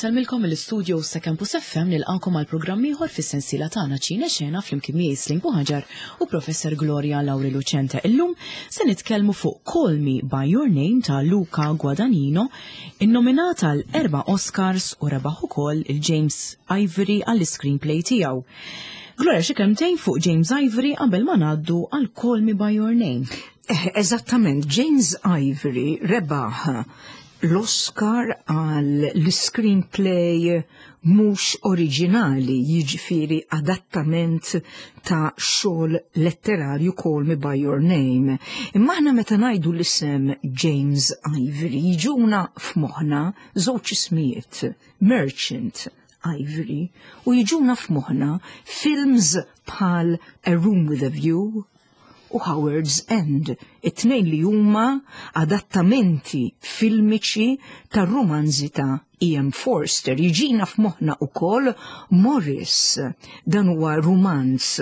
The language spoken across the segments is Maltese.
Insellmilkom mill-istudio sa Campus FM nilqakom għal programm ieħor fis-sensiela tagħna Ċine Xena flimkien miegħi Slim Buħaġar u Professor Gloria Lauri Lucente. Illum se nitkellmu fuq Call Me By Your Name ta' Luca Guadagnino, innominat għal erba' Oscars u rebaħ ukoll il-James Ivory għall-screenplay tiegħu. Gloria xi kelmtejn fuq James Ivory qabel ma ngħaddu għal Call Me By Your Name. Eh, eżattament, James Ivory rebaħ l-Oscar għal l-screenplay mhux oriġinali, jiġifieri adattament ta' xogħol letterarju Call Me By Your Name. Imma aħna meta ngħidu l-isem James Ivory jiġuna f'moħħna żewġ ismijiet, Merchant Ivory, u jiġuna f'moħħna films bħal A Room with a View, u Howard's End, it-tnejn li huma adattamenti filmiċi tar-rumanzi ta' E.M. Forster. Jiġina f'moħħna ukoll Morris. Dan huwa rumanz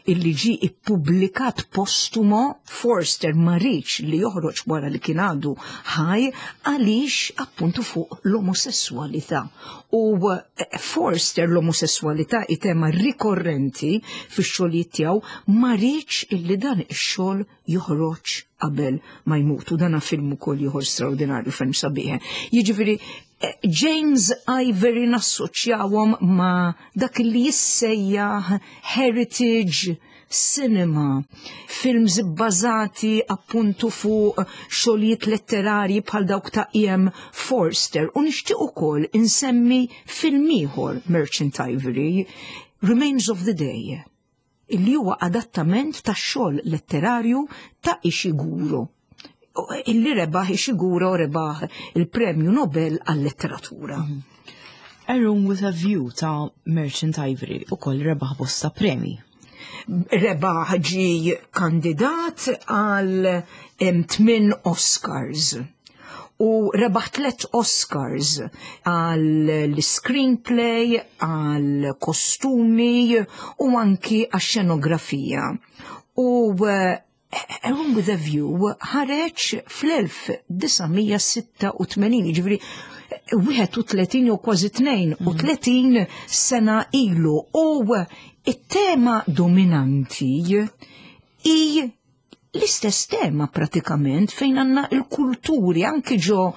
illi ġie ippubblikat postumo Forster ma riedx li joħroġ wara li kien għadu ħaj għaliex appuntu fuq l-omosessualità. U eh, Forster l-omosessualità hi tema rikorrenti fix-xogħlijiet tiegħu ma riedx illi dan ix-xogħol joħroġ qabel ma jmut u dan film ukoll ieħor straordinarju ferm sabiħ. Jiġifieri eh, James Ivory nassoċjawhom ma' dak li jissejjaħ heritage cinema, films bbażati appuntu fuq xogħlijiet letterarji bħal dawk ta' E.M. Forster u nixtieq ukoll insemmi film ieħor Merchant Ivory, Remains of the Day, illi huwa adattament ta' xogħol letterarju ta' Ishiguro. Illi rebaħ Ishiguro rebaħ il-Premju Nobel għal-letteratura. A Room with a View ta' Merchant Ivory ukoll rebaħ bosta premi. Rebaħ ġi kandidat għal tmien Oscars u rebaħ tlet Oscars għal screenplay, għal kostumi u anki għax xenografija. U eh, A Room with a View ħareġ fl-1986, ġifieri 31 jew kważi 32 sena ilu u it-tema dominanti i l-istess tema pratikament fejn għandna il-kulturi anki ġo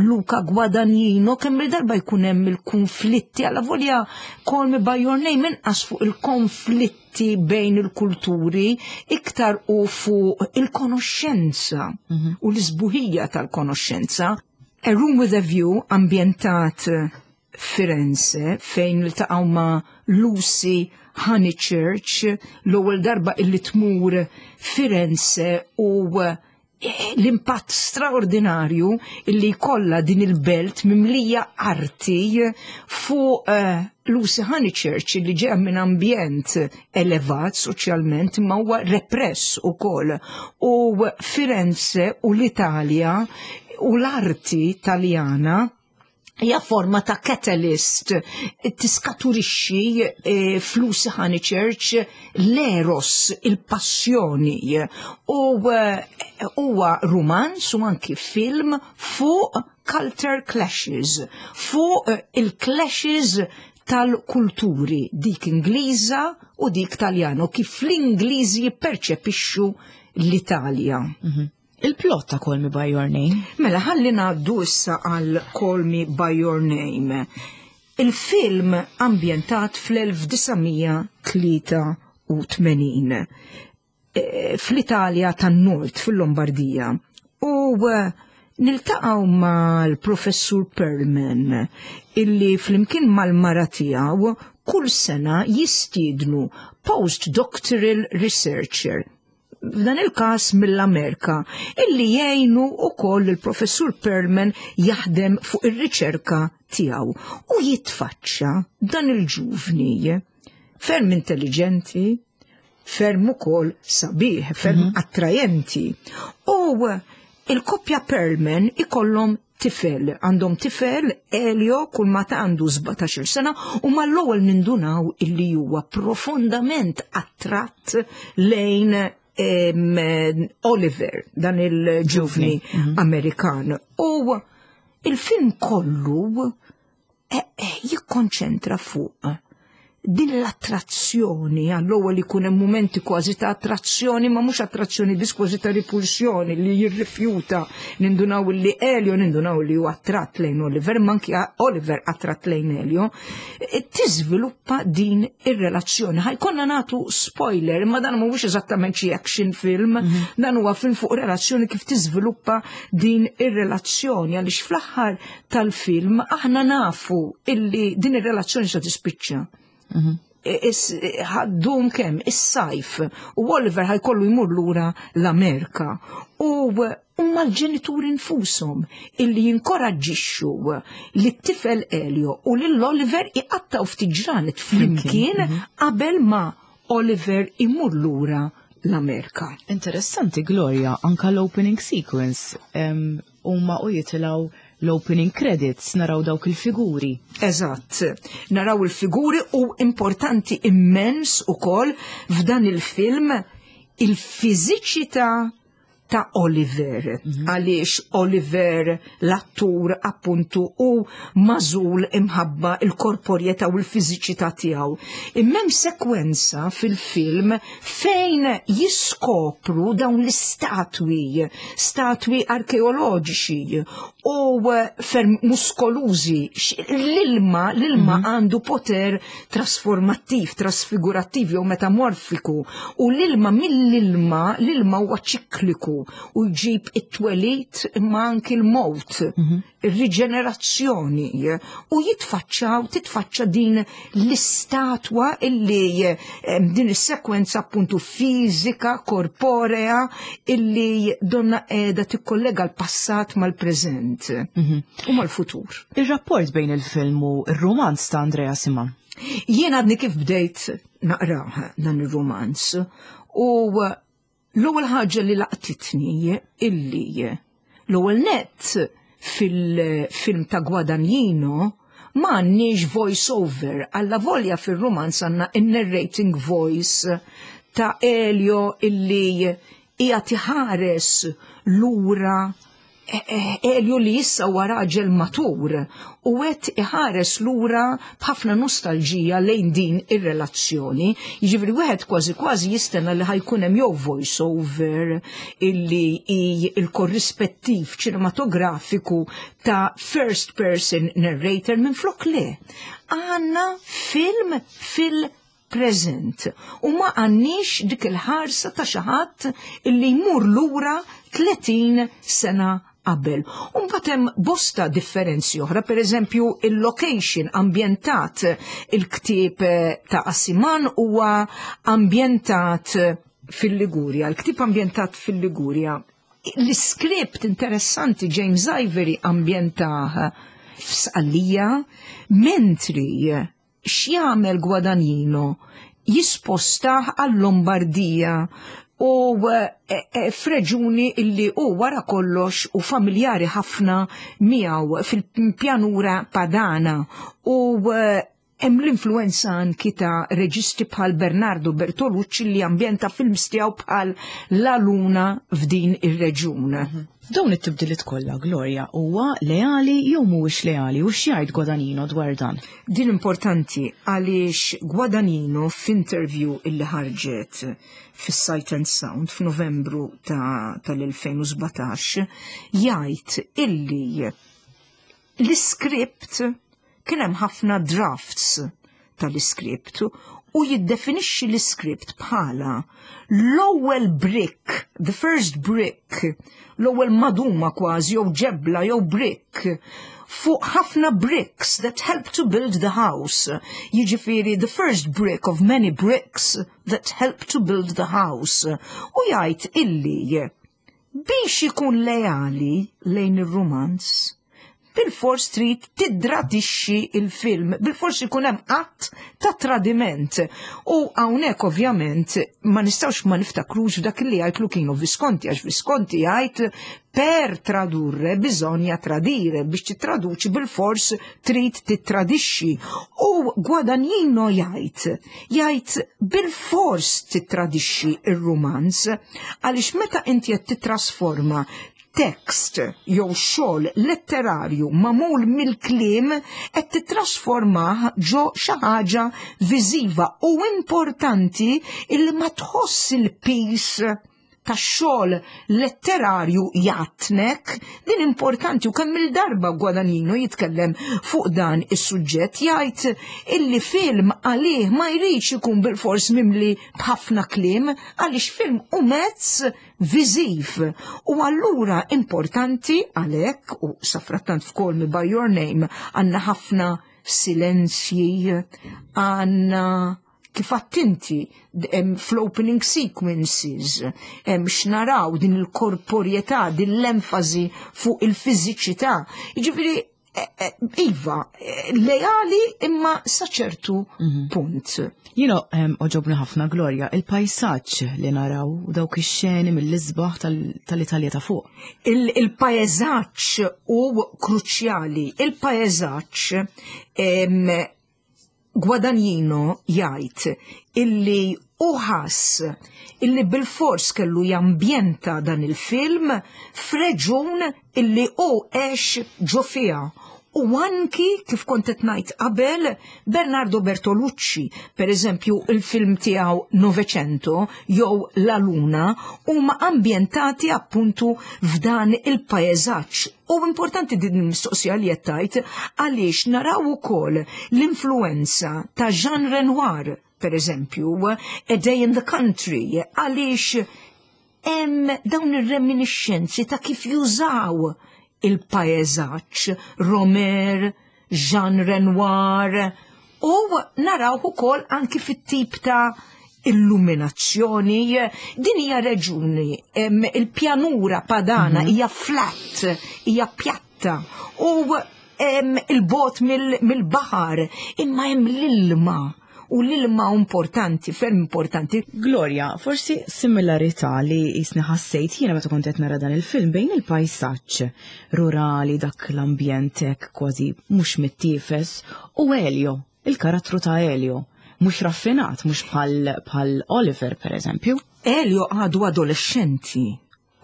Luca Guadagnino kemm il-darba jkun hemm il-konflitti alla volja Call Me By Your Name inqas fuq il-konflitti bejn il-kulturi iktar u fuq il-konoxxenza mhm. u l-isbuħija tal-konoxxenza. A Room with a View ambjentat Firenze fejn iltaqgħu ma' Lucy Honeychurch l-ewwel darba illi tmur Firenze u eh, l-impatt straordinarju illi jkollha din il-belt mimlija arti fuq eh, Lucy Honeychurch li ġeja minn ambjent elevat soċjalment imma huwa repress ukoll. U Firenze u l-Italja u l-arti Taljana hija forma ta' catalyst tiskaturixxi eh, flus Honey Church l-eros, il-passjoni u eh, huwa rumanz u anki film fuq culture clashes, fuq eh, il-clashes tal-kulturi, dik Ingliża u dik Taljana, u kif l-Ingliżi jipperċepixxu l-Italja. Mhm. Il-plot ta' Call Me By Your Name. Mela ħalli ngħaddu issa għal Call Me By Your Name. Il-film ambjentat fl-1983 e, fl-Italja tan-Nord, fil-Lombardija. U e, niltaqgħu mal-professur Perlman illi flimkien mal-mara tiegħu kull sena jistiednu postdoctoral researcher f'dan il-każ mill-Amerika, illi jgħinu wkoll il-professur Perlman jaħdem fuq ir-riċerka tiegħu u jitfaċċa dan il-ġuvni ferm intelligenti, ferm ukoll sabiħ, ferm mm -hmm. attrajenti. U il-koppja Perlman ikollhom tifel, għandhom tifel Elio kull ma ta' għandu 17 sena u mal-ewwel nindunaw illi huwa profondament attratt lejn Oliver, dan il-ġuvni mhm. Amerikan. U il-film kollu. Jikkonċentra fuq din l-attrazzjoni, għall-ewwel ikun hemm mumenti kważi ta' attrazzjoni, ma mhux attrazzjoni biss, kważi ta' ripulsjoni li jirrifjuta. Nindunaw li Elio, nindunaw li huwa attratt lejn Oliver, ma anki Oliver attratt lejn Elio, tiżviluppa din ir-relazzjoni. Ħa jkollna nagħtu spoiler, imma dan mhuwiex eżattament xi action film, dan huwa film fuq relazzjoni, kif tiżviluppa din ir-relazzjoni, għaliex fl-aħħar tal-film aħna nafu illi din ir-relazzjoni se tispiċċa. Ħa ddum kemm is-sajf u Oliver ħa jkollu jmur lura l-Amerika. U huma l-ġenituri nfushom illi jinkoraġġixxu li t-tifel Elio u lil Oliver iqattaw ftit ġranet flimkien qabel ma Oliver imur lura l-Amerika. Interessanti, Gloria, anka l-opening sequence huma u jitilgħu l-opening credits naraw dawk il-figuri. Eżatt, naraw il-figuri u importanti immens ukoll f'dan il-film il-fiżiċità ta' Oliver, għaliex Oliver l-attur appuntu hu magħżul imħabba il-korporjetà u l-fiżiċità tiegħu. Imma hemm sekwenza fil-film fejn jiskopru dawn l-istatwi, statwi arkeoloġiċi u ferm muskolużi. L-ilma għandu poter trasformattiv, trasfigurattiv jew metamorfiku u l-ilma mill-ilma, l-ilma huwa ċikliku u jġib it-twelid imma anki l-mowt, ir-riġenerazzjoni, u jitfaċċaw, titfaċċa din l-istatwa illi din is-sekwenza appuntu fiżika, korporea, illi donna qiegħda tikkollega l-passat mal-preżent u mal-futur. Ir-rapport bejn il-film u r-romanz ta' Andrea Assiman. Jien għadni kif bdejt naqrah dan ir-romanz u l-ewwel ħaġa li laqtitni illi l-ewwel nett fil-film ta' Guadagnino ma għandniex voice over, alla volja fil-romanz għandna in-narrating voice ta' Elio illi hija iħares lura, Elio li issa huwa raġel matur u qed iħares lura b'ħafna nostalġija lejn din ir-relazzjoni. Jiġifieri wieħed kważi kważi jistenna li ħa jkun hemm jew voice over illi hi il-korrispettiv ċinematografiku ta' first person narrator, minn flok le. Għandna film fil present u ma għandniex dik il-ħarsa ta' xi ħadd illi jmur lura 30 sena qabel. U mbagħad hemm bosta differenzi oħra, per eżempju il-location ambjentat, il-ktieb ta' Assiman huwa ambjentat fil-Ligurja, il-ktieb ambjentat fil-Ligurja. L-iskript interessanti, James Ivory ambjentah f'Sqallija, mentri x'jagħmel Guadagnino, jispostah għal-Lombardija u f'reġuni illi u wara kollox u familjari ħafna miegħu, fil-pjanura Padana, u hemm l-influenza anki ta' reġisti bħal Bernardo Bertolucci li ambjenta films tiegħu bħal La Luna f'din ir-reġun. Dawn it-tibdiliet kollha, Gloria, huwa leali jew mhuwiex leali u x'jgħid Guadagnino dwar dan? Din importanti għaliex Guadagnino f'interview illi ħarġet fis-Sight and Sound f'Novembru tal-2017 jgħid illi l-iskript kien hemm ħafna drafts tal-iskript u jiddefinixxi l-iskript bħala l-ewwel brick, the first brick, l-ewwel maduma kważi jew ġebla jew brick fuq ħafna bricks that help to build the house. Jiġifieri the first brick of many bricks that help to build the house. U jgħid illi biex ikun leali lejn ir-romanz, bil-fors trid tiddradixxi il-film, bil-fors ikun hemm att ta' tradiment. U hawnhekk ovvjament ma nistgħux ma niftakrux f'dak li jgħid Luchino Visconti, għax Visconti jgħid: "Per tradurre bisogna tradire", biex titraduċi bil-fors trid tittradixxi. U Guadagnino jgħid bil-fors tittradixxi ir-romanz għaliex meta inti qed titrasforma. Tekst jew xogħol letterarju magħmul mill-kliem qed titrasformah ġo xi ħaġa viżiva u importanti illi ma tħoss il-piż tax-xogħol letterarju jgħattnek, din importanti u kemm il-darba Guadagnino jitkellem fuq dan is-suġġett jgħid illi film għalih ma jridx ikun bilfors mimli b'ħafna kliem għaliex film hu mezz viżiv u allura importanti għalhekk u safrattant f'Call Me By Your Name għandna ħafna silenzji, għandna kif attinti fl-opening sequences x'naraw din il-korporjetà, din l-enfasi fuq il-fiżiċità. Jiġifieri eh, eh, iva, eh, leali imma sa ċertu mhm. punt. Jino oġobni ħafna Gloria, il-pajsaġġ li naraw u dawk ix-xeni mill-isbaħ tal-Italja ta' fuq. Il-pajsaġġ u kruċjali, il-pajsaġġ Guadagnino jgħid illi hu ħass illi bilfors kellu jambjenta dan il-film f'reġun illi hu għex ġo fiha u anki kif kont qed ngħid qabel Bernardo Bertolucci, per eżempju il-film tiegħu Novecento jew La Luna huma ambjentati appuntu f'dan il-paesaġġ. U importanti din il-mistoqsija li qed tgħid għaliex naraw ukoll l-influenza ta' Jean Renoir, per eżempju, A Day in the Country, għaliex hemm dawn ir-reminiscenzi ta' kif jużaw il-paesaġġ Romer, Jean Renoir, u naraw ukoll anki fit-tip ta' illuminazzjoni. Din hija reġuni, il-pjanura padana mhm. hija flat, hija pjatta u il-bot mill-baħar, imma hemm l-ilma u l-ilma importanti, ferm importanti. Gloria, forsi similarità li jisni ħassejt jiena meta kont qed nara dan il-film bejn il-pajsaġġ rurali dak l-ambjent hekk kważi mhux mittiefes u Elio, il-karattru ta' Elio. Mhux raffinat, mhux bħal Oliver per eżempju. Elio għadu adolescenti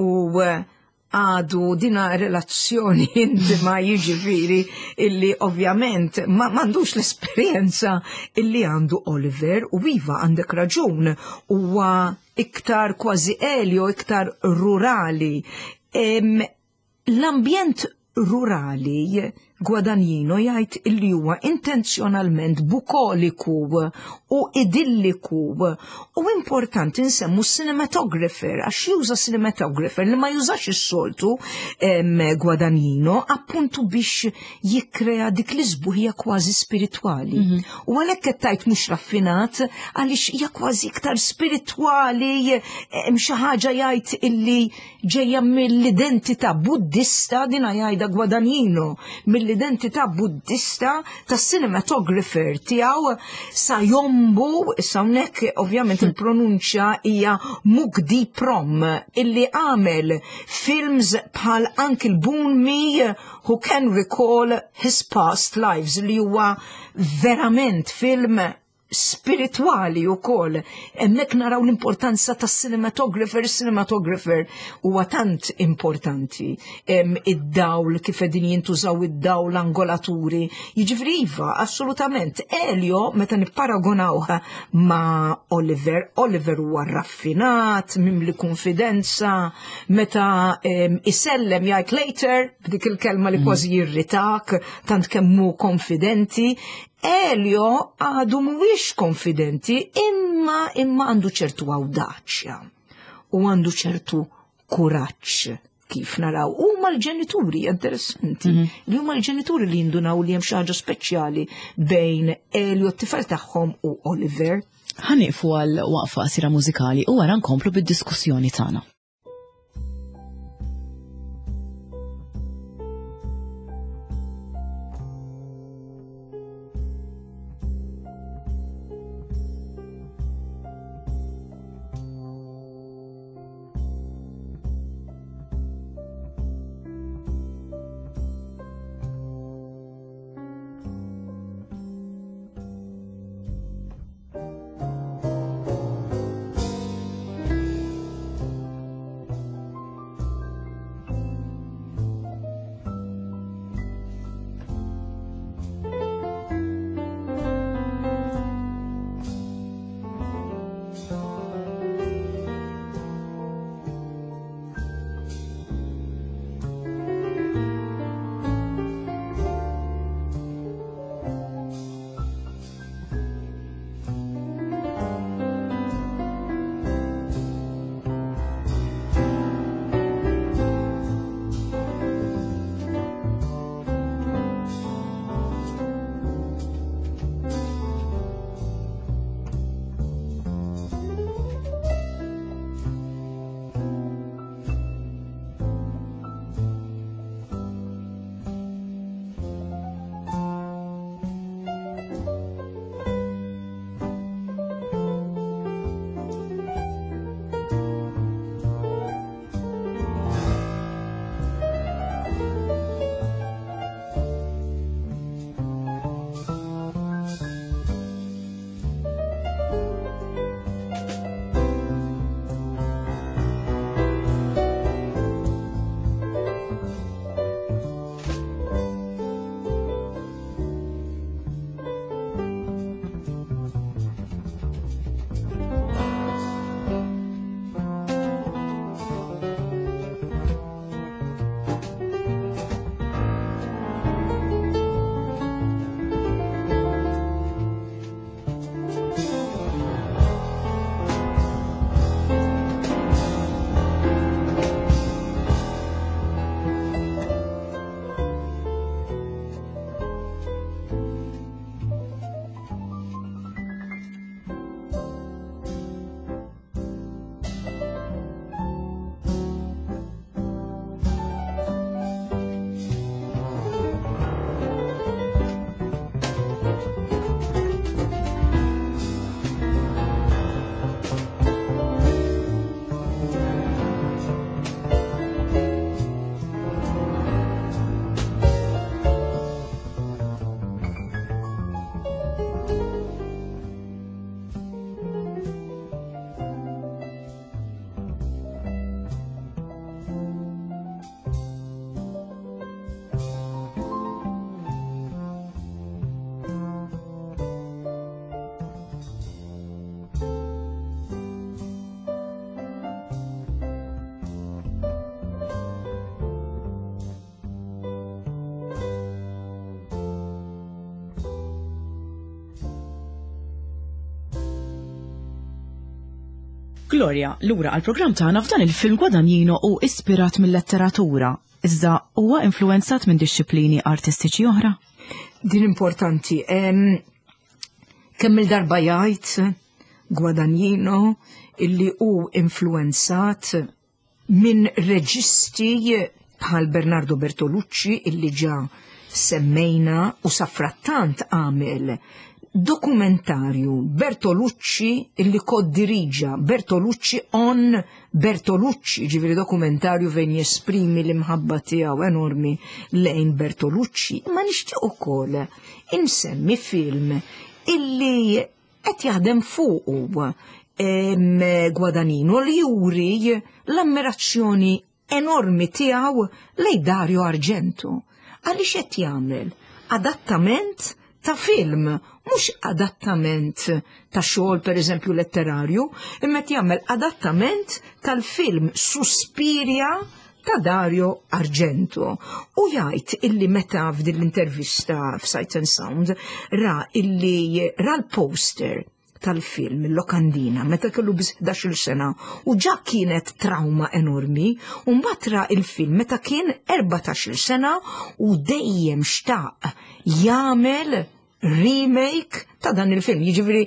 u eh, għadu dina relazzjoni intima jiġifieri illi ovvjament ma m'għandux l-esperjenza illi għandu Oliver u iva għandek raġun huwa iktar kważi Elio, iktar rurali. L-ambjent rurali Guadagnino jgħid illi huwa intenzjonalment bukoliku u idilliku u importanti nsemmu cinematographer għax juża cinematographer li ma jużax is-soltu Guadagnino appuntu biex jikkrea dik l-isbuħija kważi spiritwali. Mhm. U għalhekk qed tgħid mhux raffinat għaliex hija kważi iktar spiritwali hemm xi ħaġa jgħid illi ġejja mill-identità buddista, dina jgħidha Guadagnino, mill-identità buddista tas cinematographer tiegħu Sayombu, issa hawnhekk ovvjament il-pronunċja hija Mukdi Prom, illi għamel films bħal Uncle Boonmee Who Can Recall His Past Lives li huwa verament film spiritwali u kol. Emmek naraw l-importanza ta' cinematographer, cinematographer huwa tant importanti. Id-dawl, kif edin jintużaw id-dawl, angolaturi. Jiġifieri iva, assolutament. Elio, meta nipparagonawha ma' Oliver, Oliver huwa raffinat, mimli konfidenza, meta isellem jgħid later, b'dik il-kelma li mm. kważi jirritak, tant kemmu konfidenti, Elio għadu mhuwiex konfidenti imma imma għandu ċertu awdaċja u għandu ċertu kuraġġ kif naraw. Huma l-ġenituri, interessanti, mm -hmm. li huma l-ġenituri li jindunaw li hemm xi ħaġa speċjali bejn Elio t-tifel tagħhom u Oliver. Ħaniqfu għal waqfa qasira mużikali u wara nkomplu bid-diskussjoni tagħna. Gloria, lura għall-programm tagħna f'dan il-film Guadagnino hu ispirat mil-letteratura, iżda huwa influwenzat minn dixxiplini artistiċi oħra? Din importanti. Kemm il-darba jgħid Guadagnino illi hu influwenzat minn reġisti bħal Bernardo Bertolucci illi ġa semmejna u safrattant għamel dokumentarju Bertolucci illi koddiriġa Bertolucci on Bertolucci, ġifieri dokumentarju fejn jesprimi l-imħabba tiegħu enormi lejn Bertolucci, imma nixtieq ukoll insemmi film illi qed jaħdem fuqu Guadagnino li juri l-ammirazzjoni enormi tiegħu lejn Dario Argento. Għaliex qed jagħmel adattament ta' film, mhux adattament ta' xogħol pereżempju letterarju, imma qed jagħmel adattament tal-film Suspiria ta' Dario Argento. U jgħid illi meta f'din l-intervista f'Sight and Sound ra illi ra l-poster tal-film Il-Lokandina meta kellu biss 11-il sena u ġa kienet trauma enormi u mbagħad ra il-film meta kien 14-il sena u dejjem xtaq jagħmel remake ta' dan il-film. Jiġifieri,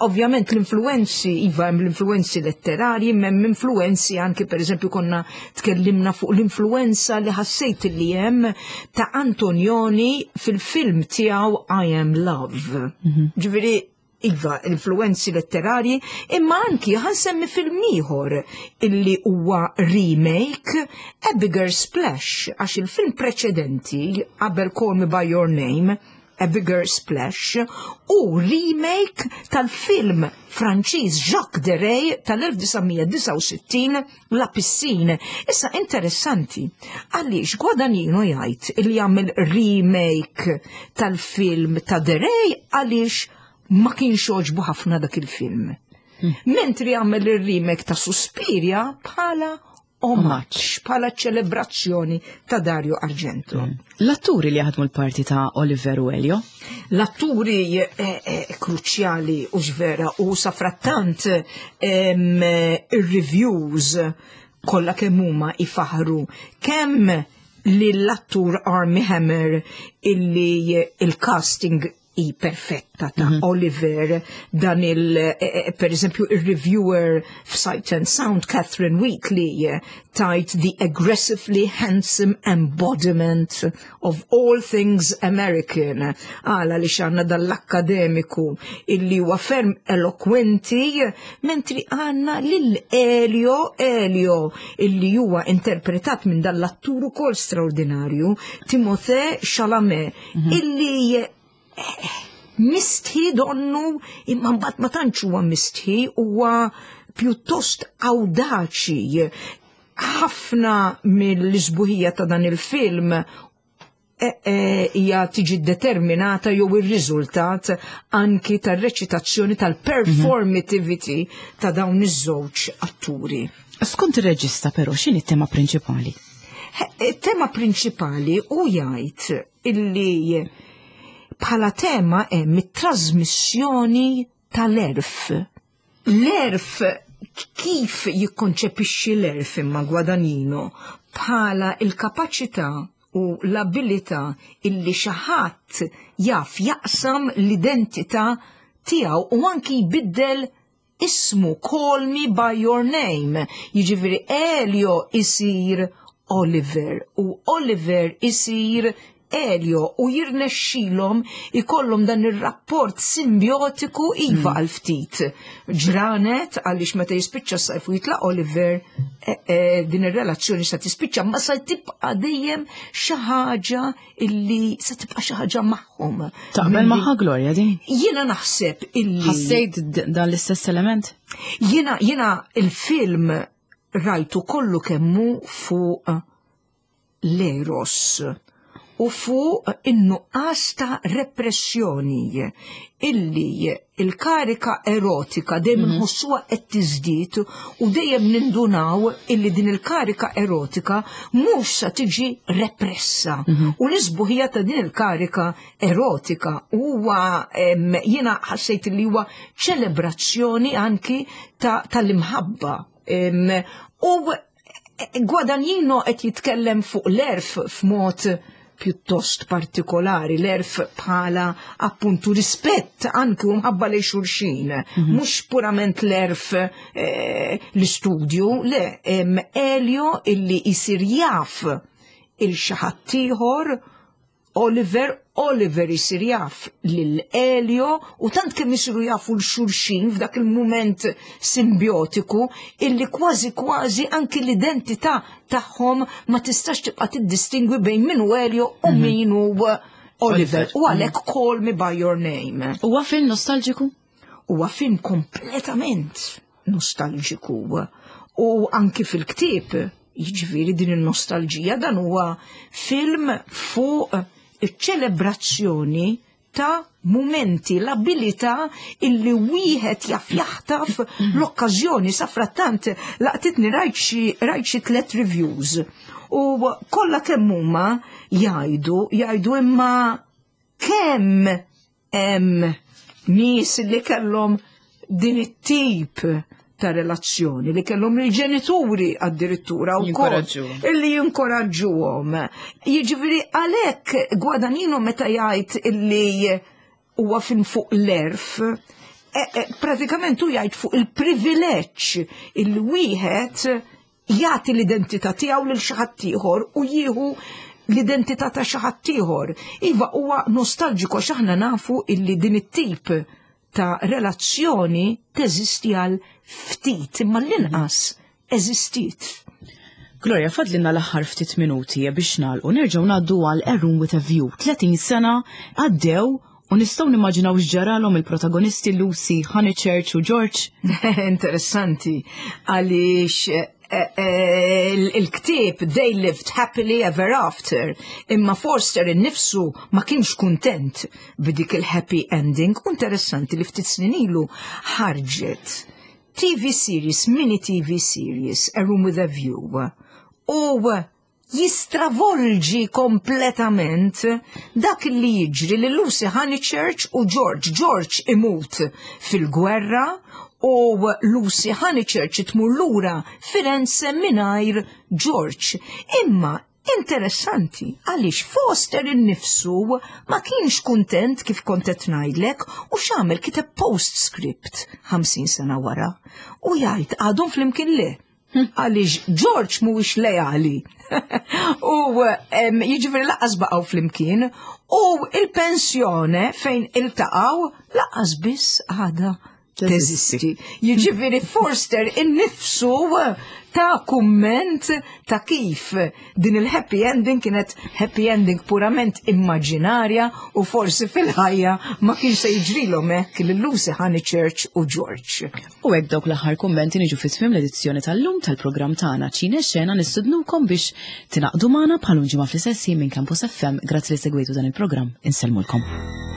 ovvjament l-influenzi, iva hemm l-influenzi letterarji, hemm influenzi anki pereżempju konna tkellimna fuq l-influenza li ħassejt li hemm ta' Antonioni fil-film tiegħu I Am Love. Mhm. Ġifieri, iva, influenzi letterarji, imma anki ħansemmi film ieħor illi huwa remake A Bigger Splash, għax il-film preċedenti qabel Call Me By Your Name, A Bigger Splash, u remake tal-film Franċiż Jacques Deray tal-1969 La Piscine. Issa interessanti, għaliex Guadagnino jgħid li jagħmel remake tal-film ta' Deray għaliex ma kienx għoġbu ħafna dak il-film. Hmm. Mentri għamel il-remake ta' Suspiria bħala omaġġ, bħala ċelebrazzjoni ta' Dario Argento. Hmm. L-atturi li jaħdmu l-parti ta' Oliver u Elio? L-atturi eh, eh, kruċjali u ġvera u safrattant ir-reviews kollha kemm huma ifaħru kemm lill-attur Armie Hammer illi il-casting i perfetta ta' mm -hmm. Oliver, dan il, eh, eh, per eżempju, il-reviewer f'Sight and Sound, Catherine Wheatley, eh, tajt the aggressively handsome embodiment of all things American. Għala li xanna dall-akkademiku illi huwa ferm elokwenti, mentri għanna lil Elio Elio illi huwa interpretat minn dall-attur ukoll straordinarju, Timothée Chalamet, mm -hmm. illi mistħi donnu imma mbagħad ma tantx huwa mistħi huwa pjuttost awdaċi. Ħafna mill-isbuħija ta' dan il-film e, e, hija tiġi determinata jew ir-riżultat anki tar-reċitazzjoni tal-performativity ta' dawn iż-żewġ atturi. Skont ir-reġista però x'inhi t-tema prinċipali? Tema prinċipali u jgħid illi bħala tema hemm it-trasmissjoni tal-erf. L-erf kif jikkonċepixxi l-erf imma Guadagnino bħala il-kapaċità u l-abilità illi xi ħadd jaf jaqsam l-identità tiegħu u anki jbiddel ismu Call Me By Your Name, jiġifieri Elio isir Oliver u Oliver isir Elio u jirnexxilhom ikollhom dan ir-rapport simbiotiku iva hmm. għal ftit ġranet għaliex meta jispiċċa s-sajf u jitlaq Oliver e, e, din ir-relazzjoni se tispiċċa ma se tibqa' dejjem xi ħaġa illi se tibqa' xi ħaġa magħhom. Taqbel magħha Gloria din? Jiena naħseb illi. Ħassejt dan l-istess element? Jiena jiena il-film rajtu kollu kemmu fuq l-eros. u fuq in-nuqqas ta' repressjoni illi il-karika erotika dejjem nħossuha qed tiżdied u dejjem nindunaw illi din il-karika erotika mhux sa tiġi repressa. U l-isbuħija ta' din il-karika erotika huwa jiena ħassejt li huwa ċelebrazzjoni anki tal-imħabba. U Guadagnino qed jitkellem fuq l-erf f'mod pjuttost partikolari, l-erf bħala appuntu rispett anki u mħabba lejn xulxin, mhux purament l-erf l-istudju, le, Elio illi jisir jaf il xi ħadd ieħor Oliver, Oliver isir jaf lil Elio u tant kemm isiru jafu l xulxin f'dak il-mument simbiotiku illi kważi kważi anki l-identità tagħhom ma tistax tibqa' tiddistingwi bejn min hu Elio u min hu Oliver. U għalhekk Call Me By Your Name. Huwa film nostalġiku? Huwa film kompletament nostalġiku. U anki fil-ktieb, jiġifieri din il-nostalġija, dan huwa film fuq iċ-ċelebrazzjoni ta' mumenti, l-abilità illi wieħed jaf jaħtaf l-okkażjoni. Sa frattant laqtitni rajt xi 3 reviews u kollha kemm huma jgħidu imma kemm hemm nies li kellhom din it-tip ta' relazzjoni, li kellhom il-ġenituri addirittura wkoll illi jinkoraġġuhom. Jiġifieri għalhekk Guadagnino meta jgħid illi huwa fin fuq l-erf, pratikament hu jgħid fuq il-privileġġ illi wieħed jagħti l-identità tiegħu lil xi ħadd ieħor u jieħu l-identità ta' xi ħadd ieħor. Iva huwa nostalġiku għax aħna nafu illi din it-tip ta' relazzjoni teżisti għal ftit, imma l-inqas eżistiet. Gloria, fadlilna l-aħħar ftit minuti biex nagħlqu, nerġgħu ngħaddu għal A Room with a View. 30 sena għaddew u nistgħu nimmaġinaw x'ġaralhom il-protagonisti Lucy, Honeychurch u George. Interessanti, għaliex il-ktieb They Lived Happily Ever After, imma Forster innifsu ma kienx kuntent b'dik il-happy ending. U interessanti li ftit snin ilu ħarġet TV series, mini TV series, A Room with a View, u jistravolġi kompletament dak li jiġri li Lucy Honeychurch u George. George imut fil-gwerra u Lucy Honeychurch tmur lura Firenze mingħajr George. Imma interessanti għaliex Forster innifsu ma kienx kuntent kif kont qed ngħidlek u x'għamel kiteb postscript 50 sena wara u jgħid għadhom flimkien le. Għaliex George mhuwiex leali. U jiġifieri laqas baqgħu flimkien u il-pensjone fejn iltaqgħu laqas biss għadha teżisti. Jiġifieri Forster innifsu ta' kumment ta' kif din il-happy ending kienet happy ending purament immaġinarja u forsi fil-ħajja ma kienx se jiġrilhom hekk lil Lucy Honeychurch u George. U hekk dawk l-aħħar kummenti niġu fi tmiem l-edizzjoni tal-lum tal-programm tagħna Ċine Xena, nistednukom biex tingħaqdu magħna bħal ġimgħa fl-istess ħin minn Campus FM. Grazzi li segwejtu dan il-programm. Insellmulkom.